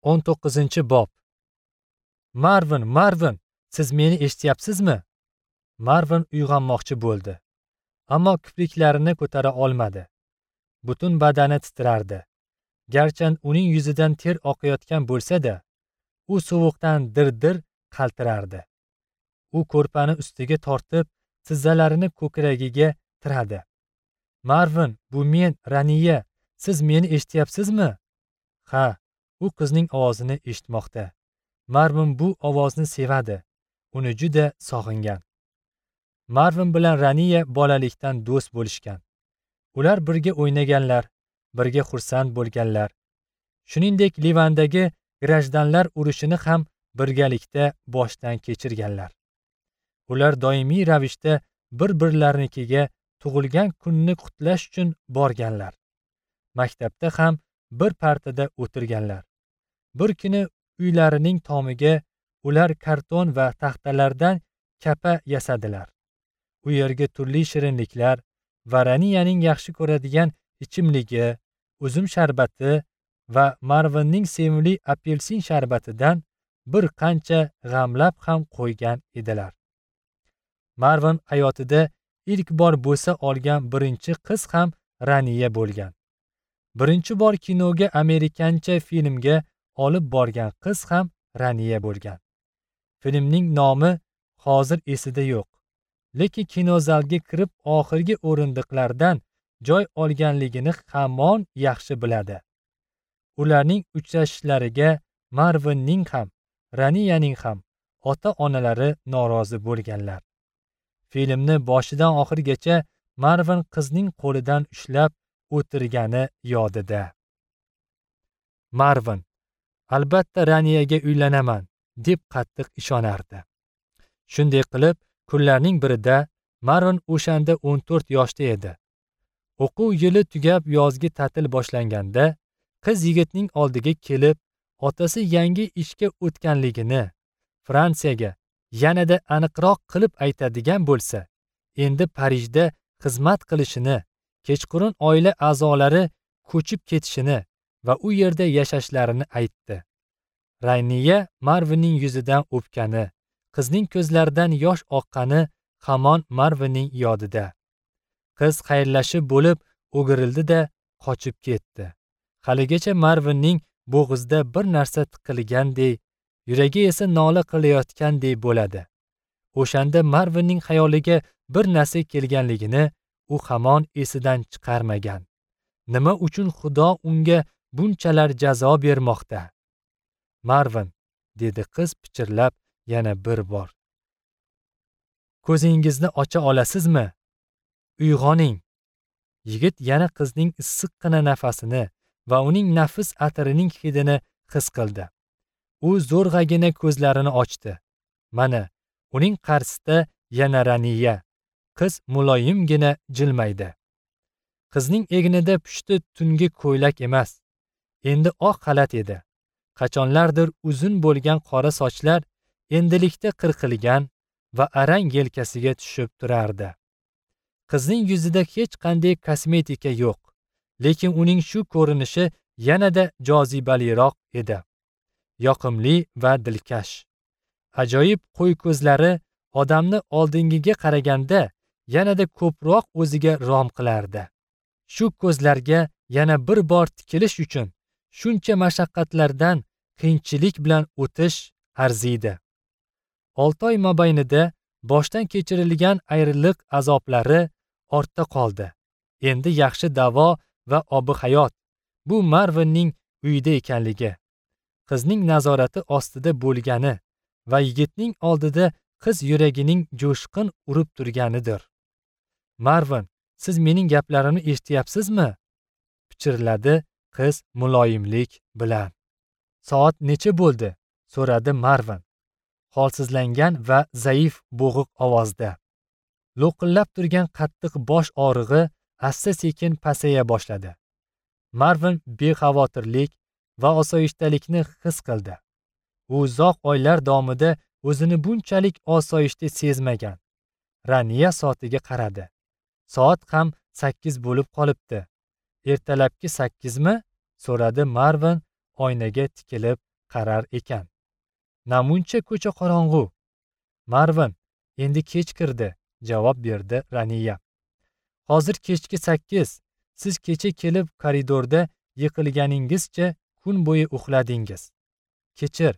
19-bob. Marvin, Marvin, siz meni eshityapsizmi? Marvin uyg'onmoqchi bo'ldi, ammo kipriklarini ko'tara olmadi. Butun badani titrardi. Garchi uning yuzidan ter oqayotgan bo'lsa-da, u sovuqdan dir-dir qaltirardi. U ko'rpani ustiga tortib, tizzalarini ko'kragiga tiradi. Marvin, bu men, Raniya. Siz meni eshityapsizmi? Ha, u qizning ovozini eshitmoqda. Marvin bu ovozni sevadi. Uni juda sog'ingan. Marvin bilan Raniya bolalikdan do'st bo'lishgan. Ular birga o'ynaganlar, birga xursand bo'lganlar. Shuningdek, Livandagi grajdanlar urushini ham birgalikda boshdan kechirganlar. Ular doimiy ravishda bir-birlarinikiga tug'ilgan kunni qutlash uchun borganlar. Maktabda ham bir partada o'tirganlar. Bir kuni uylarining tomiga ular karton va taxtalardan kapa yasadilar. U yerga turli shirinliklar va Raniyaning yaxshi ko'radigan ichimligi, uzum sharbati va Marvinning sevimli apelsin sharbatidan bir qancha g'amlab ham qo'ygan edilar. Marvin hayotida ilk bor bo'sa olgan birinchi qiz ham Raniya bo'lgan. Birinchi bor kinoga amerikancha filmga olib borgan qiz ham Raniya bo'lgan. Filmning nomi hozir esida yo'q. Lekin kinozalga kirib oxirgi o'rindiqlardan joy olganligini hamon yaxshi biladi. Ularning uchrashishlariga Marvinning ham, Raniyaning ham ota-onalari norozi bo'lganlar. Filmni boshidan oxirigacha Marvin qizning qo'lidan ushlab o'tirgani yodida. Marvin, albatta Raniyaga uylanaman, deb qattiq ishonardi. Shunday qilib, kunlarning birida Marvin o'shanda 14 yoshda edi. O'quv yili tugab yozgi ta'til boshlanganda, qiz yigitning oldiga kelib, otasi yangi ishga o'tganligini, Fransiyaga yanada aniqroq qilib aytadigan bo'lsa, endi Parijda xizmat qilishini, kechqurun oila a'zolari ko'chib ketishini va u yerda yashashlarini aytdi. Raniya Marvinning yuzidan o'pgani, qizning ko'zlaridan yosh oqqani hamon Marvinning yodida. Qiz xayrlashib bo'lib o'girildi-da qochib ketdi. Haligacha Marvinning bo'g'izida bir narsa tiqilgandek, yuragi esa nola qilayotgandek bo'ladi. O'shanda Marvinning xayoliga bir narsa kelganligini u hamon esidan chiqarmagan. Nima uchun Xudo unga bunchalar jazo bermoqda? Marvin, dedi qiz pichirlab yana bir bor. Ko'zingizni ocha olasizmi? Uyg'oning. Yigit yana qizning issiqqina nafasini va uning nafis atirining hidini his qildi. U zo'rg'agina ko'zlarini ochdi. Mana, uning qarshisida yana Raniya. Qiz muloyimgina jilmaydi. Qizning egnida pushti tungi ko'ylak emas, endi oq xalat edi. Qachonlardir uzun bo'lgan qora sochlar endilikda qirqilgan va arang yelkasiga tushib turardi. Qizning yuzida hech qanday kosmetika yo'q, lekin uning shu ko'rinishi yanada jozibaliroq edi. Yoqimli va dilkash. Ajoyib qo'y ko'zlari odamni oldingiga qaraganda yanada ko'proq o'ziga rom qilardi. Shu ko'zlarga yana bir bor tikilish uchun shuncha mashaqqatlardan qiyinchilik bilan o'tish arziydi. 6 oy mobaynida boshdan kechirilgan ayriliq azoblari ortda qoldi. Endi yaxshi davo va obi hayot bu Marvinning uyida ekanligi, qizning nazorati ostida bo'lgani va yigitning oldida qiz yuragining jo'shqin urib turganidir. Marvin, siz mening gaplarimni eshityapsizmi? Pichirladi qiz muloyimlik bilan. Soat necha bo'ldi? So'radi Marvin holsizlangan va zaif bo'g'iq ovozda. Lo'qillab turgan qattiq bosh og'rig'i asta-sekin pasaya boshladi. Marvin bexavotirlik va osoyishtalikni his qildi. U uzoq oylar davomida o'zini bunchalik osoyishta sezmagan. Raniya soatiga qaradi. Soat ham 8 bo'lib qolibdi. Ertalabki 8mi? So'radi Marvin oynaga tikilib qarar ekan. Namuncha ko'cha qorong'u. Marvin, endi kech kirdi, javob berdi Raniya. Hozir kechki 8. Siz kecha kelib koridorda yiqilganingizcha kun bo'yi uxladingiz. Kechir,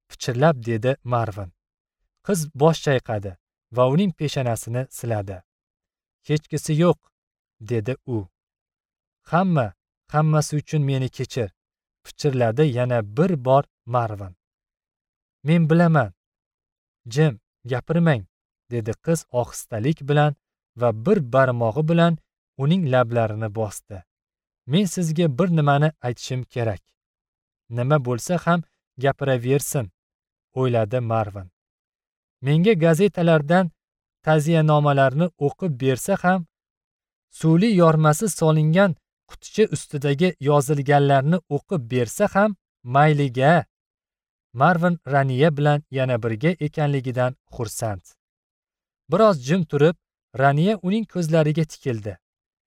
pichirlab dedi Marvin. Qiz bosh chayqadi va uning peshonasini siladi. Hechkisi yo'q, dedi u. Hammasi uchun meni kechir, pichirladi yana bir bor Marvin. Men bilaman. Jim, gapirmang, dedi qiz ohistalik bilan va bir barmog'i bilan uning lablarini bosdi. Men sizga bir nimani aytishim kerak. Nima bo'lsa ham gapiraversin, o'yladi Marvin. Menga gazetalardan ta'ziyanomalarni o'qib bersa ham, suvli yormasi solingan quticha ustidagi yozilganlarni o'qib bersa ham mayliga. Marvin Raniya bilan yana birga ekanligidan xursand. Biroz jim turib, Raniya uning ko'zlariga tikildi.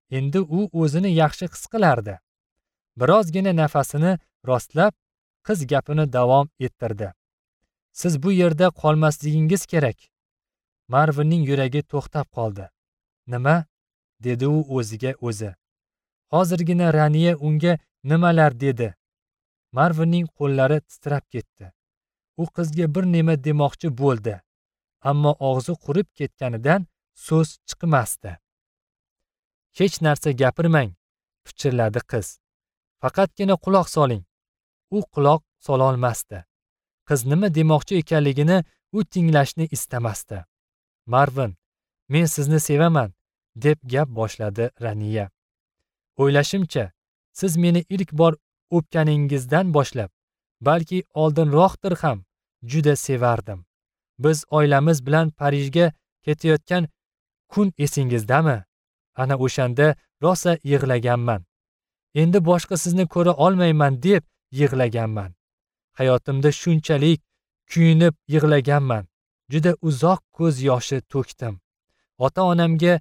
Endi u o'zini yaxshi his qilardi. Birozgina nafasini rostlab, qiz gapini davom ettirdi. Siz bu yerda qolmasligingiz kerak. Marvinning yuragi to'xtab qoldi. Nima? Dedi u o'ziga o'zi. Hozirgina Raniya unga nimalar dedi? Marvinning qo'llari titrab ketdi. U qizga bir nima demoqchi bo'ldi, ammo og'zi qurib ketganidan so'z chiqmasdi. Hech narsa gapirmang, pichirladi qiz. Faqatgina quloq soling. U quloq sololmasdi. Qiz nima demoqchi ekanligini u tinglashni istamasdi. Marvin, men sizni sevaman, deb gap boshladi Raniya. O'ylashimcha, siz meni ilk bor o'pganingizdan boshlab, balki oldinroqdir ham, juda sevardim. Biz oilamiz bilan Parijga ketayotgan kun esingizdami? Ana o'shanda rosa yig'laganman. Endi boshqa sizni ko'ra olmayman deb yig'laganman. Hayotimda shunchalik kuyinib yig'laganman. Juda uzoq ko'z yoshi to'kdim. Ota-onamga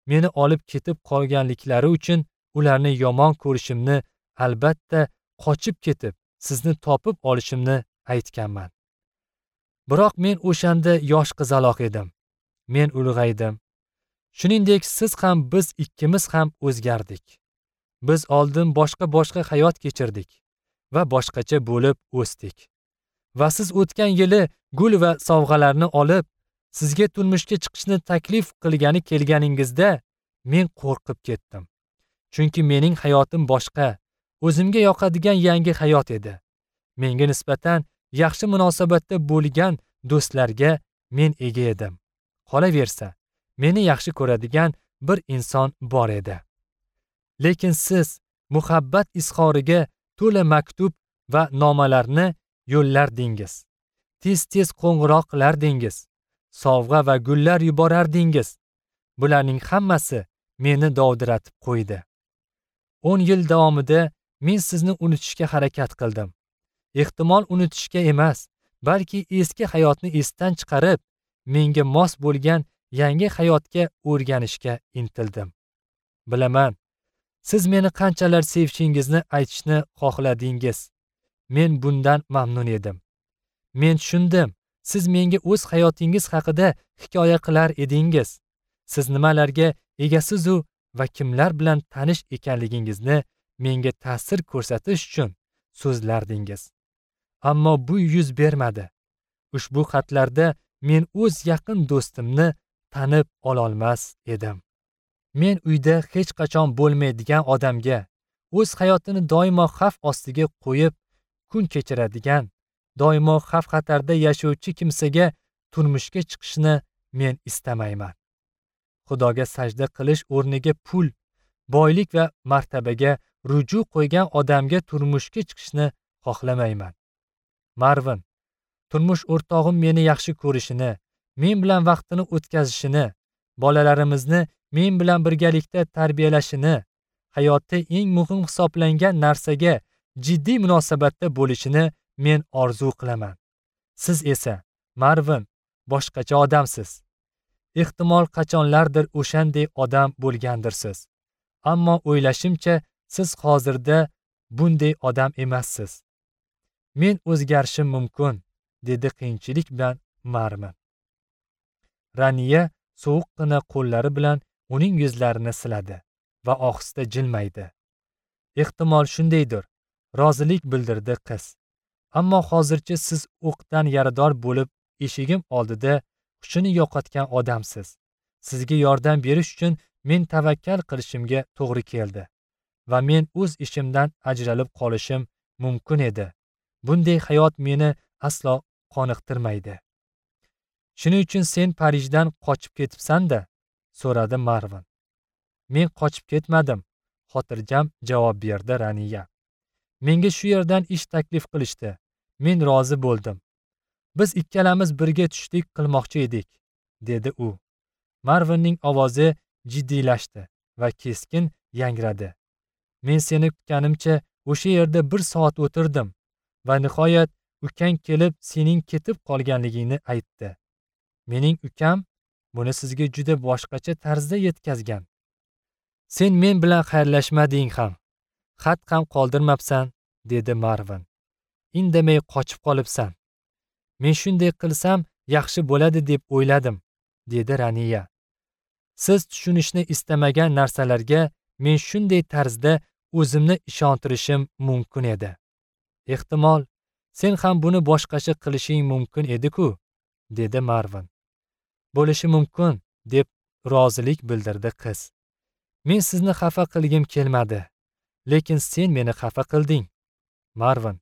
meni olib ketib qolganliklari uchun ularni yomon ko'rishimni, albatta qochib ketib sizni topib olishimni aytganman. Biroq men o'shanda yosh qizaloq edim. Men ulg'aydim. Shuningdek, siz ham, biz ikkimiz ham o'zgardik. Biz oldin boshqa hayot kechirdik va boshqacha bo'lib o'sdik. Va siz o'tgan yili gul va sovg'alarni olib, sizga turmushga chiqishni taklif qilgani kelganingizda men qo'rqib ketdim. Chunki mening hayotim boshqa, o'zimga yoqadigan yangi hayot edi. Menga nisbatan yaxshi munosabatda bo'lgan do'stlarga men ega edim. Qolaversa, meni yaxshi ko'radigan bir inson bor edi. Lekin siz muhabbat izhoriga to'la maktub va nomalarni yo'llardingiz. Tez-tez qo'ng'iroq qilardingiz. Sovg'a va gullar yuborardingiz. Bularning hammasi meni dovdiratib qo'ydi. 10 yil davomida men sizni unutishga harakat qildim. Ehtimol unutishga emas, balki eski hayotni esdan chiqarib, menga mos bo'lgan yangi hayotga o'rganishga intildim. Bilaman, siz meni qanchalar sevishingizni aytishni xohladingiz. Men bundan mamnun edim. Men tushundim, siz menga o'z hayotingiz haqida hikoya qilar edingiz. Siz nimalarga egasiz-u va kimlar bilan tanish ekanligingizni menga ta'sir ko'rsatish uchun so'zlardingiz. Ammo bu yuz bermadi. Ushbu xatlarda men o'z yaqin do'stimni tanib ololmas edim. Men uyda hech qachon bo'lmaydigan odamga, o'z hayotini doimo xavf ostiga qo'yib kun kechiradigan, doimo xavf-xatarda yashovchi kimsaga turmushga chiqishni men istamayman. Xudoga sajda qilish o'rniga pul, boylik va martabaga ruju qo'ygan odamga turmushga chiqishni xohlamayman. Marvin, turmush o'rtog'im meni yaxshi ko'rishini, men bilan vaqtini o'tkazishini, bolalarimizni men bilan birgalikda tarbiyalashini, hayotda eng muhim hisoblangan narsaga jiddiy munosabatda bo'lishini men orzu qilaman. Siz esa, Marvin, boshqacha odamsiz. Ehtimol qachonlardir o'shanday odam bo'lgandirsiz. Ammo o'ylashimcha, siz hozirda bunday odam emassiz. Men o'zgarishim mumkin, dedi qiyinchilik bilan Marvin. Raniya sovuqqina qo'llari bilan uning yuzlarini siladi va ohista jilmaydi. Ehtimol shundaydir, rozilik bildirdi qiz. Ammo hozircha siz o'qdan yarador bo'lib eshigim oldida hushini yo'qotgan odamsiz. Sizga yordam berish uchun men tavakkal qilishimga to'g'ri keldi va men o'z ishimdan ajralib qolishim mumkin edi. Bunday hayot meni aslo qoniqtirmaydi. Shuning uchun sen Parijdan qochib ketibsan-da? So'radi Marvin. Men qochib ketmadim, xotirjam javob berdi Raniya. Menga shu yerdan ish taklif qilishdi. Men rozi bo'ldim. Biz ikkalamiz birga tushlik qilmoqchi edik, dedi u. Marvinning ovozi jiddiylashdi va keskin yangradi. Men seni kutganimcha o'sha yerda 1 soat o'tirdim va nihoyat ukang kelib sening ketib qolganligingni aytdi. Mening ukam buni sizga juda boshqacha tarzda yetkazgan. Sen men bilan xayrlashmading ham, xat ham qoldirmabsan, dedi Marvin. Indamay qochib qolibsan. Men shunday qilsam yaxshi bo'ladi deb o'yladim, dedi Raniya. Siz tushunishni istamagan narsalarga men shunday tarzda o'zimni ishontirishim mumkin edi. Ehtimol sen ham buni boshqacha qilishing mumkin edi-ku, dedi Marvin. Bo'lishi mumkin, deb rozilik bildirdi qiz. Men sizni xafa qilgim kelmadi, lekin sen meni xafa qilding. Marvin,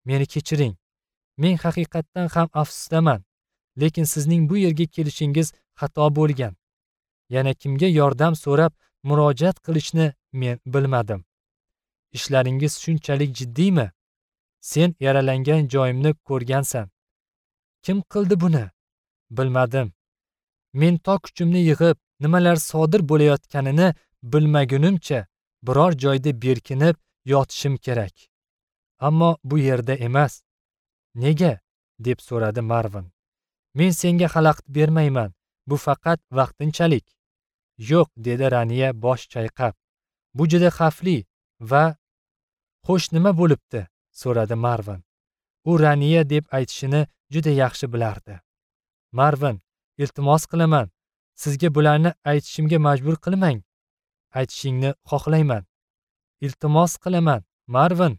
meni kechiring. Men haqiqatdan ham afsusdaman, lekin sizning bu yerga kelishingiz xato bo'lgan. Yana kimga yordam so'rab murojaat qilishni men bilmadim. Ishlaringiz shunchalik jiddiymi? Sen yaralangan joyimni ko'rgansan. Kim qildi buni? Bilmadim. Men to kuchimni yig'ib, nimalar sodir bo'layotganini bilmagunimcha biror joyda berkinib yotishim kerak. Ammo bu yerda emas. Nega? Deb so'radi Marvin. Men senga xalaqit bermayman. Bu faqat vaqtinchalik. Yo'q, dedi Raniya bosh chayqab. Bu juda xavfli va xo'sh, nima bo'libdi? So'radi Marvin. U Raniya deb aytishini juda yaxshi bilardi. Marvin, iltimos qilaman, sizga bularni aytishimga majbur qilmang. Aytishingni xohlayman. Iltimos qilaman, Marvin.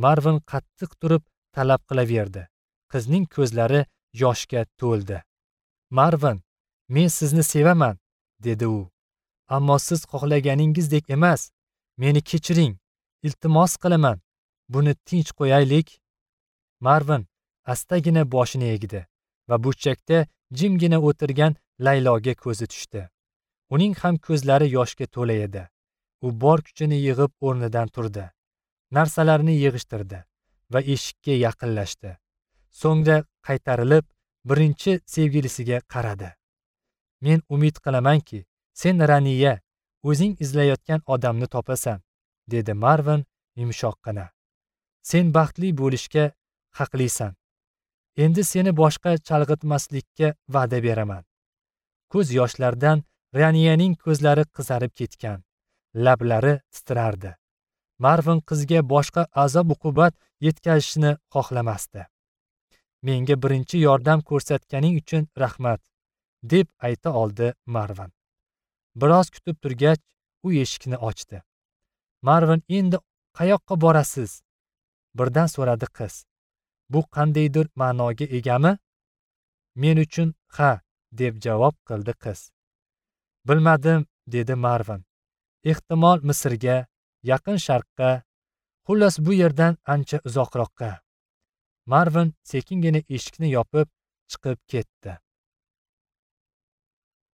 Marvin qattiq turib talab qilaverdi. Qizning ko'zlari yoshga to'ldi. Marvin, men sizni sevaman, dedi u. Ammo siz xohlaganingizdek emas. Meni kechiring. Iltimos qilaman. Buni tinch qo'yaylik. Marvin astagina boshini egdi va burchakda jimgina o'tirgan Layloga ko'zi tushdi. Uning ham ko'zlari yoshga to'la edi. U bor kuchini yig'ib o'rnidan turdi. Narsalarini yig'ishtirdi va eshikka yaqinlashdi. So'ngra qaytarilib birinchi sevgilisiga qaradi. Men umid qilamanki, sen Raniya, o'zing izlayotgan odamni topasan, dedi Marvin yumshoqqina. Sen baxtli bo'lishga haqlisan. Endi seni boshqa chalg'itmaslikka va'da beraman. Ko'z yoshlardan Raniyaning ko'zlari qizarib ketgan, lablari titrardi. Marvin qizga boshqa azob-uqubat yetkazishni xohlamasdi. Menga birinchi yordam ko'rsatganing uchun rahmat, deb ayta oldi Marvin. Biroz kutib turgach, u eshikni ochdi. Marvin, endi qayoqqa borasiz? Birdan so'radi qiz. Bu qandaydir ma'noga egami? Men uchun ha, deb javob qildi qiz. Bilmadim, dedi Marvin. Ehtimol Misrga, Yaqin Sharqqa, xullas bu yerdan ancha uzoqroqqa. Marvin sekingina eshikni yopib chiqib ketdi.